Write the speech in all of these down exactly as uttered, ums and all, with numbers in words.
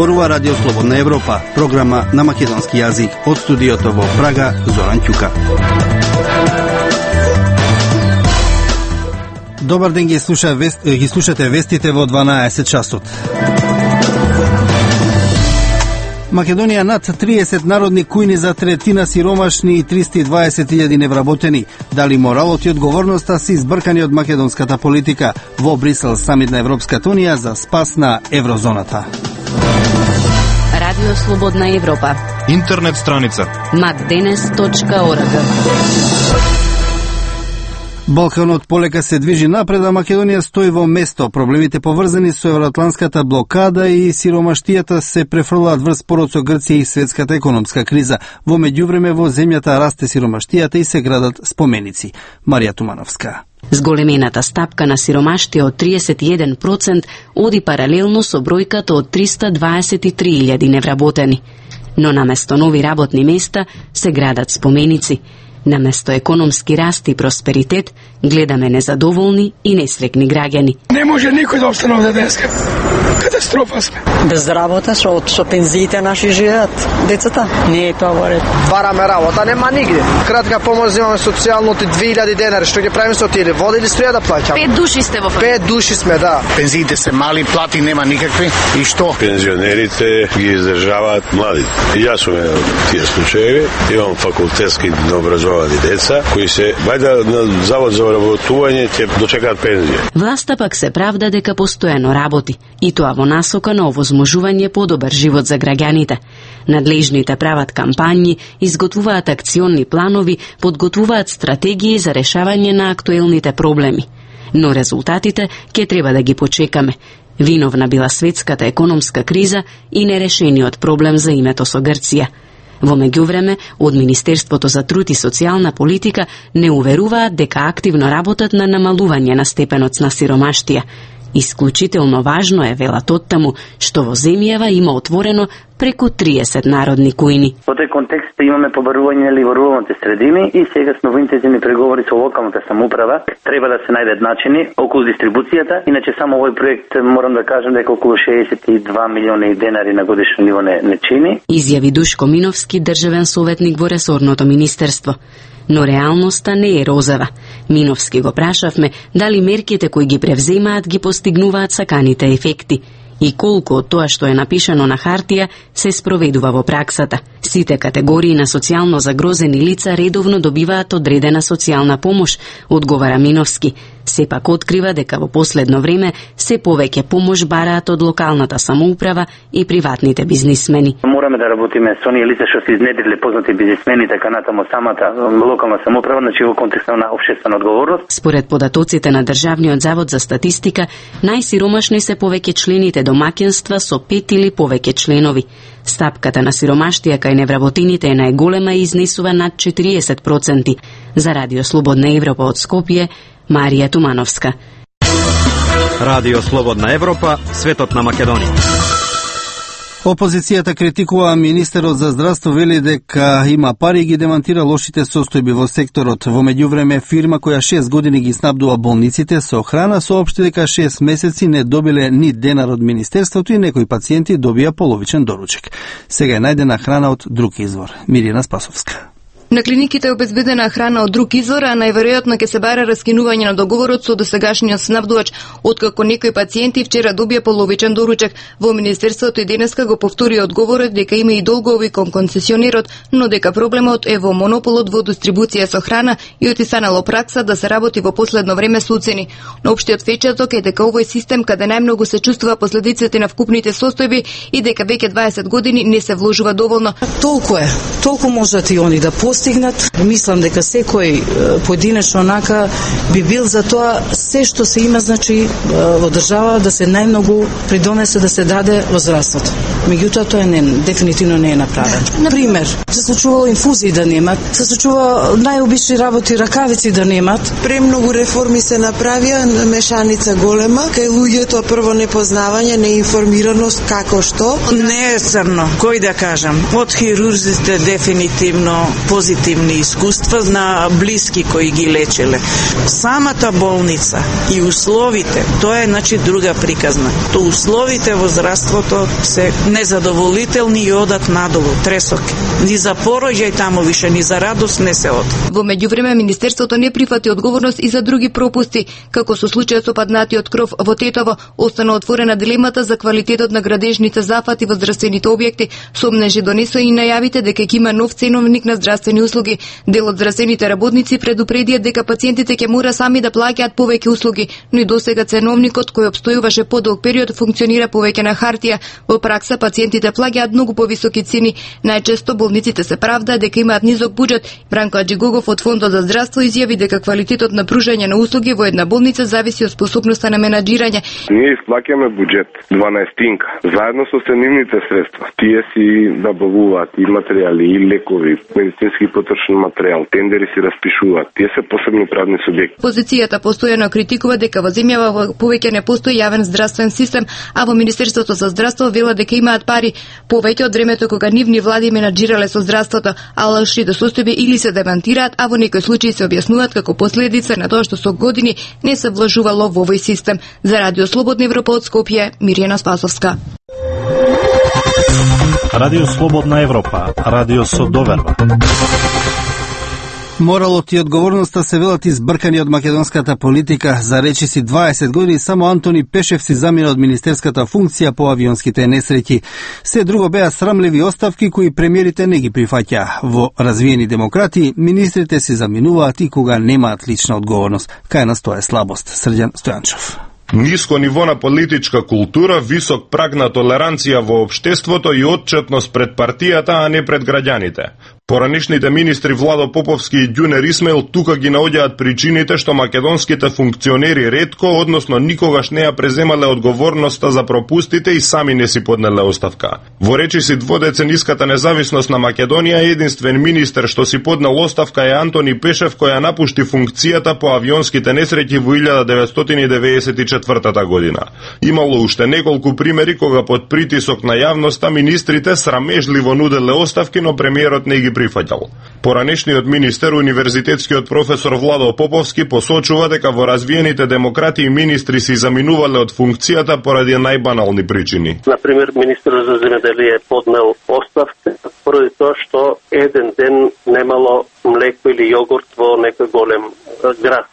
Зборува Радио Слободна Европа, програма на македонски јазик. Од студиото во Прага, Зоран Ќука. Добар ден, ги, слуша, ги слушате вестите во дванаесет часот. Македонија над триесет народни кујни за третина сиромашни и триста и дваесет илјади невработени. Дали моралот и одговорноста се избркани од македонската политика? Во Брисел самит на Европската унија за спас на еврозоната. Радио Слободна Европа. Интернет страница макденес точка орг. Балканот полека се движи напред, а Македонија стои во место. Проблемите поврзани со евроатланската блокада и сиромаштијата се префрлаат врз спорот со Грција и светската економска криза. Во меѓувреме во земјата расте сиромаштијата и се градат споменици. Марија Тумановска. Зголемената стапка на сиромаштија од триесет и еден проценти оди паралелно со бројката од триста дваесет и три илјади невработени. Но наместо нови работни места се градат споменици. Наместо економски раст и просперитет, гледаме незадоволни и несрекни граѓани. Не може никој да остане овде денеска. Катастрофа сме. Без работа, со, со пензиите наши живеат. Децата, не е тоа во ред. Бараме работа, нема нигде. Кратка помош земаме социјално ти две илјади денари. Што ги правиме со тие? Вода или струја да плаќаме? Пет души сте во фамилија. Пет души сме, да. Пензиите се мали, плати нема никакви. И што? Пензионерите ги издржаваат млади. И јас сум еден од тие случаеви. Имам факултетски образовани деца кои се вајда на завод за вработување ќе дочекаат пензија. Власта пак се правда дека постојано работи, и тоа во насока на овозможување подобар живот за граѓаните. Надлежните прават кампањи, изготвуваат акциони планови, подготвуваат стратегии за решавање на актуелните проблеми. Но резултатите ќе треба да ги почекаме. Виновна била светската економска криза и нерешениот проблем за името со Грција. Во меѓувреме, од Министерството за труд и социјална политика не уверуваат дека активно работат на намалување на степенот на сиромаштија. Исклучително важно е, велат оттаму, што во земјава има отворено преку триесет народни кујни. Во тој контекст имаме побарување нели во руралните средини и сега сме во интензивни преговори со локалната самоуправа. Треба да се најдат начини околу дистрибуцијата, иначе само овој проект морам да кажам дека околу шеесет и два милиони денари на годишно ниво не, не чини. Изјави Душко Миновски, државен советник во ресорното министерство. Но реалноста не е розова. Миновски го прашавме дали мерките кои ги превземаат ги постигнуваат саканите ефекти и колку од тоа што е напишано на хартија се спроведува во праксата. Сите категории на социјално загрозени лица редовно добиваат одредена социјална помош, одговара Миновски. Сепак открива дека во последно време се повеќе помош бараат од локалната самоуправа и приватните бизнисмени. Мораме да работиме со оние лица што се изнедриле познати бизнисмени, така натаму самата локална самоуправа, значи во контекстот на општествена одговорност. Според податоците на Државниот завод за статистика, најсиромашни се повеќе члените домаќинства со пет или повеќе членови. Стапката на сиромаштија кај невработените е најголема и изнесува над четириесет проценти. За Радио Слободна Европа од Скопје, Марија Тумановска. Радио Слободна Европа, светот на Македонија. Опозицијата критикува министерот за здравство, вели дека има пари и ги демантира лошите состојби во секторот. Во меѓувреме, фирма која шест години ги снабдува болниците со храна соопшти дека шест месеци не добиле ни денар од министерството и некои пациенти добија половичен доручек. Сега е најдена храна од друг извор. Мирина Спасовска. На клиниките е обезбедена храна од друг извор, а најверојатно ќе се бара раскинување на договорот со досегашниот снабдувач, откако некои пациенти вчера добија половичен доручек. Во министерството и денеска го повтори одговорот дека има и долгови кон концесионерот, но дека проблемот е во монополот во дистрибуција со храна и отистанало пракса да се работи во последно време со уцени. Но општиот впечаток е дека овој систем каде најмногу се чувствува последиците на вкупните состојби и дека веќе дваесет години не се вложува доволно. Толку е, толку можат и они да постигнат. Мислам дека секој поединечно онака би бил за тоа се што се има, значи во држава да се најмногу придонесе да се даде во здравството. Меѓутоа тоа не дефинитивно не е направено. На пример, се случувало инфузии да немат, се случува најобични работи, ракавици да немат. Премногу реформи се направија, мешаница голема, кај луѓето прво непознавање, неинформираност како што. Не е црно, кој да кажам. Од хирурзите дефинитивно позитивни искуства на блиски кои ги лечеле. Самата болница и условите, тоа е значи друга приказна. То условите во здравството се незадоволителни и одат надолу, тресоки. Ни за пороѓај таму више, ни за радост не се од. Во меѓувреме Министерството не прифати одговорност и за други пропусти, како со случајот со паднатиот кров во Тетово, остана отворена дилемата за квалитетот на градежните зафати во здравствените објекти, сомнежи донесоа и најавите дека ќе има нов ценовник на здравствени услуги. Дел од здравствените работници предупредија дека пациентите ќе мора сами да плаќаат повеќе услуги, но и досега ценовникот кој обстојуваше подолг период функционира повеќе на хартија. Во пракса пациентите плаќаат многу повисоки цени. Најчесто болниците се правдаат дека имаат низок буџет. Бранко Аџигогов од Фондот за здравство изјави дека квалитетот на пружање на услуги во една болница зависи од способноста на менаџирање. Ние исплаќаме буџет дванаестинка заедно со ценивните средства. Тие си набавуваат и материјали, и лекови, медицински потрошен материјал, тендери си распишуваат. Тие се посебни правни субјекти. Позицијата постојано критикува дека во земјава повеќе не постои јавен здравствен систем, а во Министерството за здравство велат дека имаат пари повеќе од времето кога нивни влади менаџирале со здравството, а лошите состојби или се демантираат, а во некои случаи се објаснуваат како последица на тоа што со години не се влажувало во овој систем. За Радио Слободна Европа од Скопје, Мирјана Спасовска. Радио Слободна Европа, радио со доверба. Моралот и одговорноста се велат избркани од македонската политика. За речиси дваесет години само Антони Пешев си замина од министерската функција по авионските несреќи. Се друго беа срамливи оставки кои премиерите не ги прифаќа. Во развиени демократи министрите се заминуваат и кога немаат лична одговорност. Кај нас тоа е слабост. Срđan Стојанчов. Ниско ниво на политичка култура, висок праг на толеранција во општеството и отчетност пред партијата, а не пред граѓаните. Поранишните министри Владо Поповски и Ѓунер Исмаил тука ги наоѓаат причините што македонските функционери ретко, односно никогаш не ја преземале одговорноста за пропустите и сами не си поднеле оставка. Во речиси дводецениската независност на Македонија, единствен министер што си поднел оставка е Антони Пешев, кој ја напушти функцијата по авионските несреќи во илјада деветстотини и деветдесет и четвртата година. Имало уште неколку примери кога под притисок на јавноста министрите срамежливо нуделе оставки, но премиерот не ги прифаќал. Поранешниот министер, универзитетскиот професор Владо Поповски, посочува дека во развиените демократи министри си заминувале од функцијата поради најбанални причини. Например, министерот за земјоделие поднел оставка поради тоа што еден ден немало млеко или јогурт во некој голем град.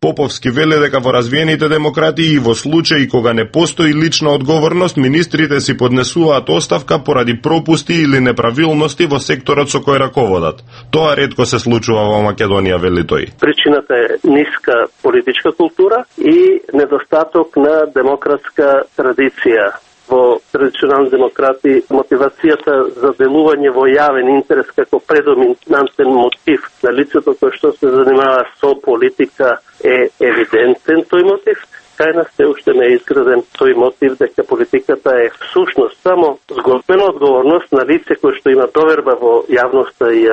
Поповски веле дека во развиените демократи и во случаи кога не постои лична одговорност, министрите си поднесуваат оставка поради пропусти или неправилности во секторот со кој раководат. Тоа ретко се случува во Македонија, вели тој. Причината е ниска политичка култура и недостаток на демократска традиција. Во традиционални демократи мотивацијата за делување во јавен интерес како предоминантен мотив на лицето кој што се занимава со политика е евидентен тој мотив. Кај нас се уште не е изграден тој мотив дека политиката е всушност само згодбена одговорност на лице кој што има доверба во јавноста и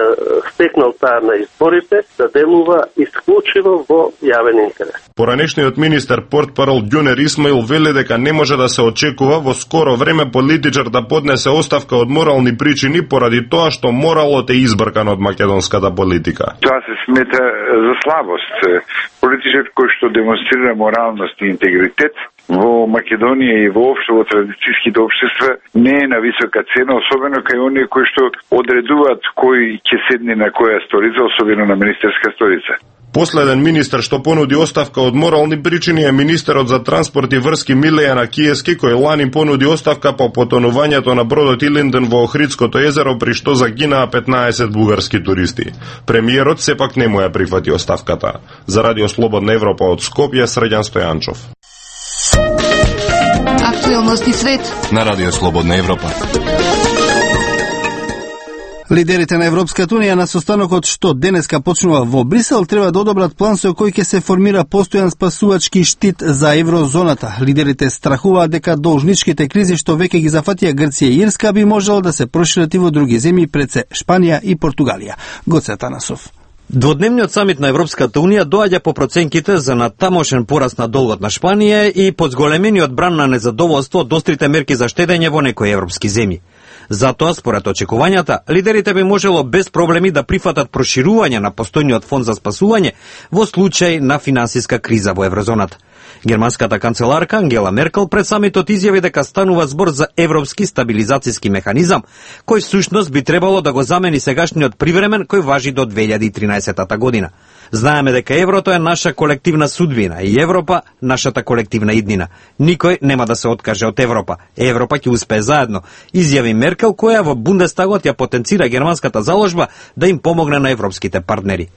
стекнал таа на изборите да делува исклучиво во јавен интерес. Поранешниот министер портпарол Ѓунер Исмаил вели дека не може да се очекува во скоро време политичар да поднесе оставка од морални причини поради тоа што моралот е избркан од македонската политика. Тоа се смета за слабост. Политичар кој што демонстрира моралност и интегритет во Македонија и воопшто во традицијските општества не е на висока цена, особено кај оние кои што одредуваат кој ќе седне на која столица, особено на министерска столица. Последен министер што понуди оставка од морални причини е министерот за транспорт и врски Милејана Киески, кој лани понуди оставка по потонувањето на бродот Илинден во Охридското езеро, при што загинаа петнаесет бугарски туристи. Премиерот сепак не му ја прифати оставката. За Радио Слободна Европа од Скопје, Срđan Стојанчов. Актуелности свет на Радио Слободна Европа. Лидерите на Европската Унија на состанокот што денеска почнува во Брисел треба да одобрат план со кој ќе се формира постојан спасувачки штит за еврозоната. Лидерите страхуваат дека должничките кризи што веќе ги зафатија Грција и Ирска би можело да се прошират и во други земји, пред се Шпанија и Португалија. Гоце Атанасов. Дводневниот самит на Европската Унија доаѓа по проценките за натамошен пораст на долгот на Шпанија и под зголемениот бран на незадоволство од острите мерки за штедење во некои европски земји. Затоа, според очекувањата, лидерите би можело без проблеми да прифатат проширување на постојниот фонд за спасување во случај на финансиска криза во еврозоната. Германската канцеларка Ангела Меркел пред самитот изјави дека станува збор за европски стабилизацијски механизам, кој всушност би требало да го замени сегашниот привремен кој важи до две илјади и тринаесетта година. Знаеме дека еврото е наша колективна судбина и Европа нашата колективна иднина. Никој нема да се откаже од Европа. Европа ќе успее заедно, изјави Меркел, која во Бундестагот ја потенцира германската заложба да им помогне на европските партнери.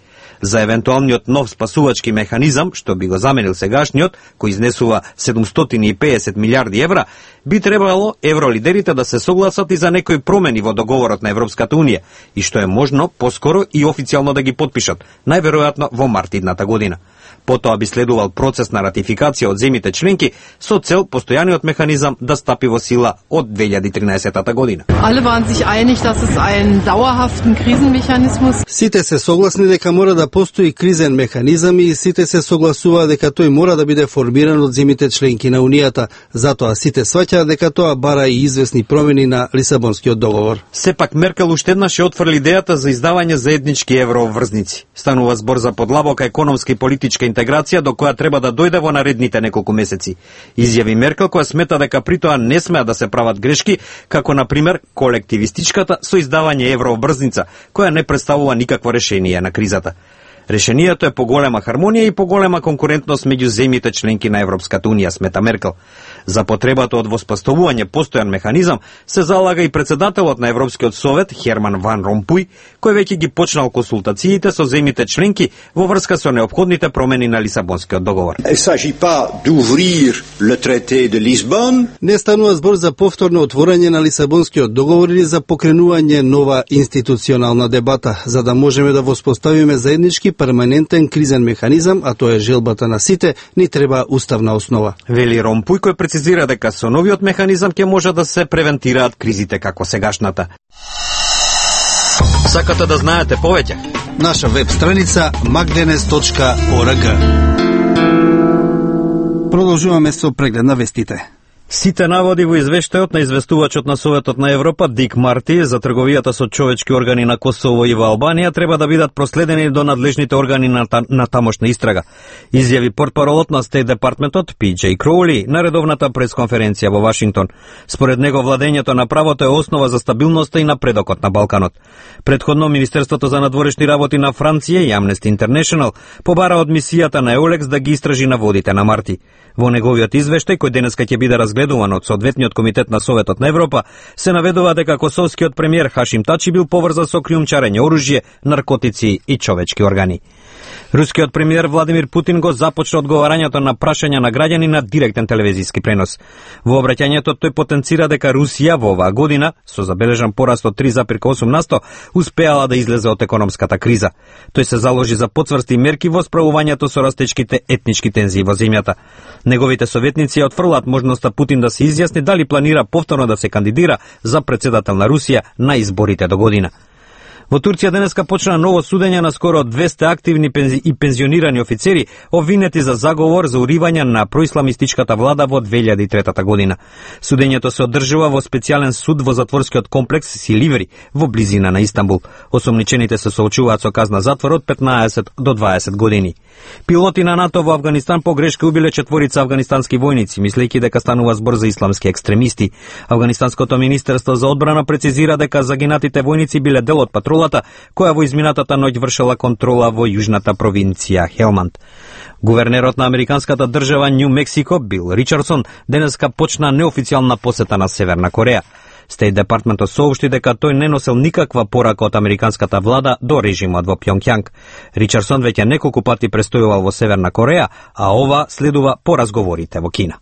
За евентуалниот нов спасувачки механизам, што би го заменил сегашниот, кој изнесува седумстотини и педесет милиарди евра, би требало евролидерите да се согласат и за некои промени во договорот на Европската Унија, и што е можно поскоро и официјално да ги потпишат, најверојатно во март идната година. Потоа би следувал процес на ратификација од земјите членки со цел постојаниот механизам да стапи во сила од две илјади и тринаесетта година. Alle waren sich einig, dass es einen dauerhaften Krisenmechanismus. Сите се согласни дека мора да постои кризен механизам и сите се согласува дека тој мора да биде формиран од земјите членки на Унијата. Затоа сите сваќаат дека тоа бара и известни промени на Лисабонскиот договор. Сепак Меркел уште еднаш ја отфрли идејата за издавање заеднички еврообврзници. Станува збор за подлабока економска и политичка интеграција до која треба да дојде во наредните неколку месеци. Изјави Меркел, која смета дека при тоа не смеа да се прават грешки, како на пример колективистичката со издавање еврообврзница, која не представува никакво решение на кризата. Решението е поголема хармонија и поголема конкурентност меѓу земјите членки на Европската Унија, смета Меркел. За потребата од воспоставување постојан механизам се залага и председателот на Европскиот совет Херман Ван Ромпуј, кој веќе ги почнал консултациите со земјите членки во врска со неопходните промени на Лисабонскиот договор. Не станува збор за повторно отворање на Лисабонскиот договор или за покренување нова институционална дебата, за да можеме да воспоставиме заеднички перманентен кризен механизам, а тоа е желбата на сите, ни треба уставна основа. Вели Ромпуј, кој прецизира дека со новиот механизам ќе може да се превентираат кризите како сегашната. Сакате да знаете повеќе? Наша веб страница magdenes точка org. Продолжуваме со преглед на вестите. Сите наводи во извештајот на известувачот на Советот на Европа Дик Марти за трговијата со човечки органи на Косово и во Албанија треба да бидат проследени до надлежните органи на, та, на тамошна истрага. Изјави портпаролот на Стейт департментот Пи Џеј Кроули на редовната пресконференција во Вашингтон. Според него владењето на правото е основа за стабилноста и напредокот на Балканот. Предходно Министерството за надворешни работи на Франција и Amnesty International побара од мисијата на Еолекс да ги истражи наводите на Марти. Во неговиот извештај, кој денеска ќе биде разгледуван од соодветниот комитет на Советот на Европа, се наведува дека косовскиот премиер Хашим Тачи бил поврзан со криумчарење оружје, наркотици и човечки органи. Рускиот премиер Владимир Путин го започна одговарањето на прашања на граѓани на директен телевизиски пренос. Во обраќањето тој потенцира дека Русија во оваа година, со забележан пораст од три зарез осум на сто, успеала да излезе од економската криза. Тој се заложи за потврсти мерки во справувањето со растечките етнички тензии во земјата. Неговите советници ја отфрлаат можноста Путин да се изјасни дали планира повторно да се кандидира за председател на Русија на изборите до година. Во Турција денеска почна ново судење на скоро двесте активни пензи... и пензионирани офицери обвинети за заговор за уривање на происламистичката влада во две илјади и трета година. Судењето се одржува во специјален суд во затворскиот комплекс Силиври во близина на Истанбул. Осомничените се соочуваат со казна затвор од петнаесет до дваесет години. Пилоти на НАТО во Авганистан по грешка убиле четворица афганистански војници, мислејќи дека станува збор за исламски екстремисти. Афганистанското министерство за одбрана прецизира дека загинатите војници биле дел од патрулата која во изминатата ноќ вршела контрола во јужната провинција Хелманд. Гувернерот на американската држава Њу Мексико Бил Ричардсон денеска почна неофицијална посета на Северна Кореја. Стейт департментот соопшти дека тој не носел никаква порака од американската влада до режимот во Пјонгјанг. Ричардсон веќе неколку пати престојувал во Северна Кореја, а ова следува по разговорите во Кина.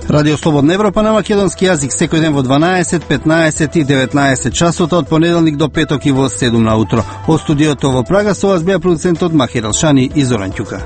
Радио Слободна Европа на македонски јазик секој ден во дванаесет, петнаесет и деветнаесет часот од понеделник до петок и во седум на утро. Од студиото во Прага со вас беа продуцентот Махир Алшани и Зоран Ќука.